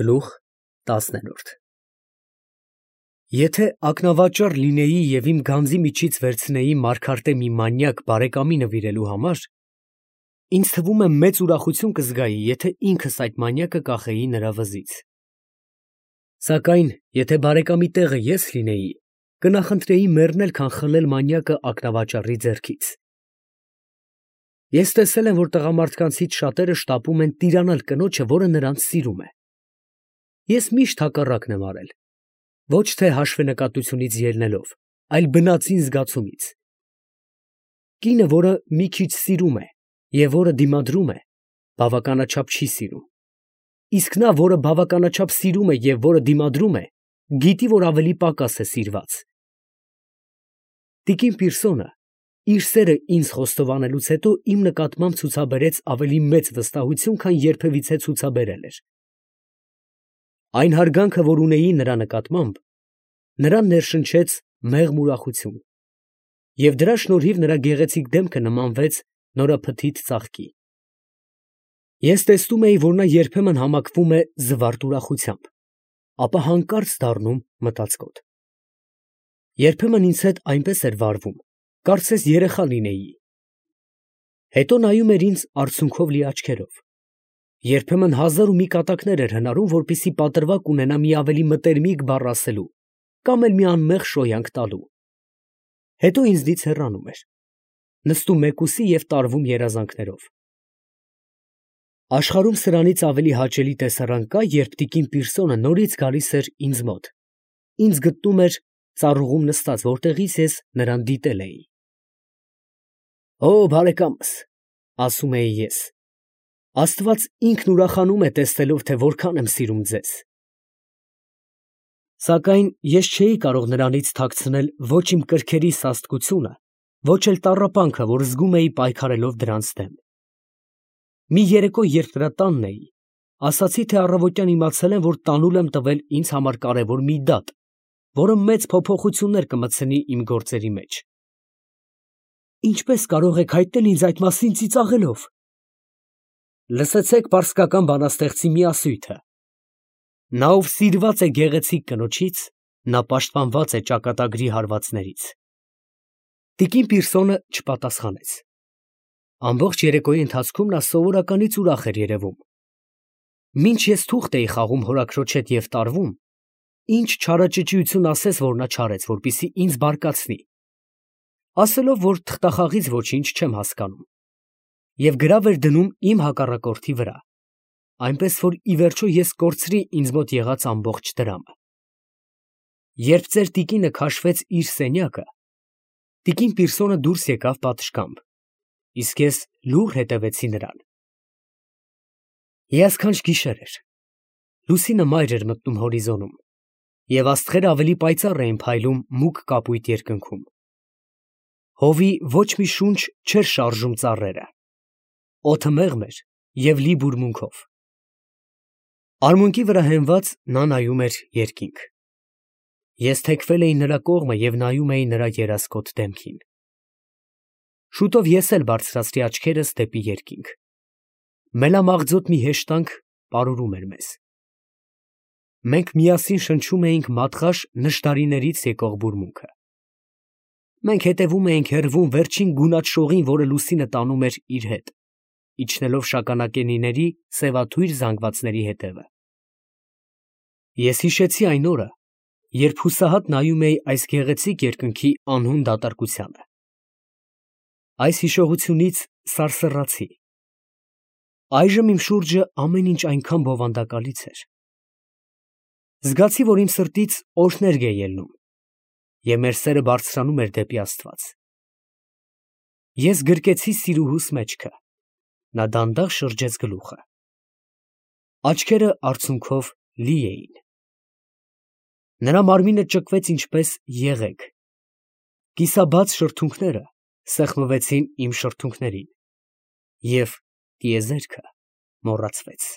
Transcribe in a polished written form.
Գլուխ 10 Եթե ակնավաճառ լինեի և իմ գանձի միջից վերցնեի մարգարտե մի մանյակ բարեկամի նվիրելու համար, ինձ թվում է մեծ ուրախություն կզգայի, եթե ինքս այդ մանյակը կախեի նրա վզից. Սակայն եթե բարեկամի տեղը ես լինեի, կնախընտրեի մեռնել, քան խլել մանյակը ակնավաճառի ձեռքից։ Ես տեսել եմ, որ տղամարդկանցից շատերը շտապում են տիրանալ կնոջը, որը նրանց սիրում է։ Ես միշտ հակառակն եմ արել, ոչ թե հաշվենկատությունից ելնելով, այլ բնածին զգացումից։ Կինը, որը մի քիչ սիրում է և որը դիմադրում է, բավականաչափ չի սիրում, իսկ նա, որը բավականաչափ սիրում է և որը դիմադրում է, գիտի, որ ավելի պակաս է սիրված։ Տիկին Պիրսոնը իր սերը ինձ խոստովանելուց հետո իմ նկատմամբ ցուցաբերեց ավելի մեծ վստահություն, քան երբևիցե ցուցաբերել էր։ Այն հարգանքը, որ ունեի նրա նկատմամբ, նրան ներշնչեց մեղմ ուրախություն, և դրա շնորհիվ նրա գեղեցիկ դեմքը նմանվեց նորափթիթ ծաղկի։ Ես տեսնում էի, որ նա երբեմն համակվում է զվարթ ուրախությամբ, ապա հանկարծ դառնում մտածկոտ։ Երբեմն ինձ հետ այնպես էր վարվում, կարծես երեխա լինեի։ Հետո նայում էր ինձ արցունքով լի աչքերով, երբեմն հազար ու մի կատակներ էր հնարում, որպեսզի պատրվակ ունենա մի ավելի մտերմիկ բառ ասելու կամ էլ մի անմեղ շոյանք տալու։ Հետո ինձնից հեռանում էր, նստում մեկուսի և տարվում երազանքներով։ Աշխարհում սրանից ավելի հաճելի տեսարան կա, երբ տիկին Պիրսոնը նորից գալիս էր ինձ մոտ, ինձ գտնում էր ծառուղում նստած, որտեղից ես նրան դիտել էի։ «Օ, բարեկամս, ֊ ասում էի ես, ֊ Աստված ինքն ուրախանում է տեսնելով, թե որքան եմ սիրում ձեզ»։ Սակայն ես չէի կարող նրանից թաքցնել ոչ իմ կրքերի սաստկությունը, ոչ էլ տառապանքը, որ զգում էի պայքարելով դրանց դեմ։ Մի երեկո, երբ նրա տանն էի, ասացի, թե առավոտյան իմացել եմ, որ տանուլ եմ տվել ինձ համար կարևոր մի դատ, որը մեծ փոփոխություններ կմտցնի իմ գործերի մեջ։ «Ինչպես կարող եք հայտնել ինձ այդ մասին ծիծաղելով»։ Լսեցեք պարսկական բանաստեղծի մի ասույթը. «Նա, ով սիրված է գեղեցիկ կնոջից, նա պաշտպանված է ճակատագրի հարվածներից»։ Տիկին Պիրսոնը չպատասխանեց։ Ամբողջ երեկոյի ընթացքում նա սովորականից ուրախ էր երևում։ Մինչ ես թուղթ էի խաղում հորաքրոջ հետ և տարվում, ինչ չարաճճիություն ասես, որ նա չարեց, որպեսզի ինձ բարկացնի, ասելով, որ թղթախաղից ոչինչ չեմ հասկանում, և գրավ էր դնում իմ հակառակորդի վրա, այնպես որ ի վերջո ես կորցրի ինձ մոտ եղած ամբողջ դրամը։ Երբ ծեր տիկինը քաշվեց իր սենյակը, տիկին Պիրսոնը դուրս եկավ պատշգամբ, իսկ ես լուռ հետևեցի նրան։ Հիասքանչ գիշեր էր, լուսինը մայր էր մտնում հորիզոնում, և աստղերը ավելի պայծառ էին փայլում մուգ կապույտ երկնքում։ Հովի ոչ մի շունչ չէր շարժում ծառերը, օդը մեղմ էր և լի բուրմունքով։ Արմունկի վրա հենված նա նայում էր երկինք։ Ես թեքվել էի նրա կողմը և նայում էի նրա երասկոտ դեմքին։ Շուտով ես էլ բարձրացրի աչքերս դեպի երկինք։ Մելամաղձոտ մի հեշտանք պարուրում էր մեզ։ Մենք միասին շնչում էինք մատղաշ նժդարիներից եկող բուրմունքը։ Մենք հետևում էինք հեռվում վերջին գունատ շողին, որը լուսինը տանում էր իր հետ, իջնելով շագանակենիների սևաթույր զանգվածների հետևը։ Ես հիշեցի այն օրը, երբ հուսահատ նայում էի այս գեղեցիկ երկնքի անհուն դատարկությանը։ Այս հիշողությունից սարսռացի։ Այժմ իմ շուրջը ամեն ինչ այնքան բովանդակալից էր։ Զգացի, որ իմ սրտից օրհներգ է ելնում, և մեր սերը բարձրանում էր դեպի Աստված։ Ես գրկեցի սիրուհուս մեջքը, նա դանդաղ շրջեց գլուխը։ Աչքերը արցունքով լի էին։ Նրա մարմինը ճկվեց ինչպես եղեգ, կիսաբաց շրթունքները սեղմվեցին իմ շրթունքներին, և տիեզերքը մոռացվեց։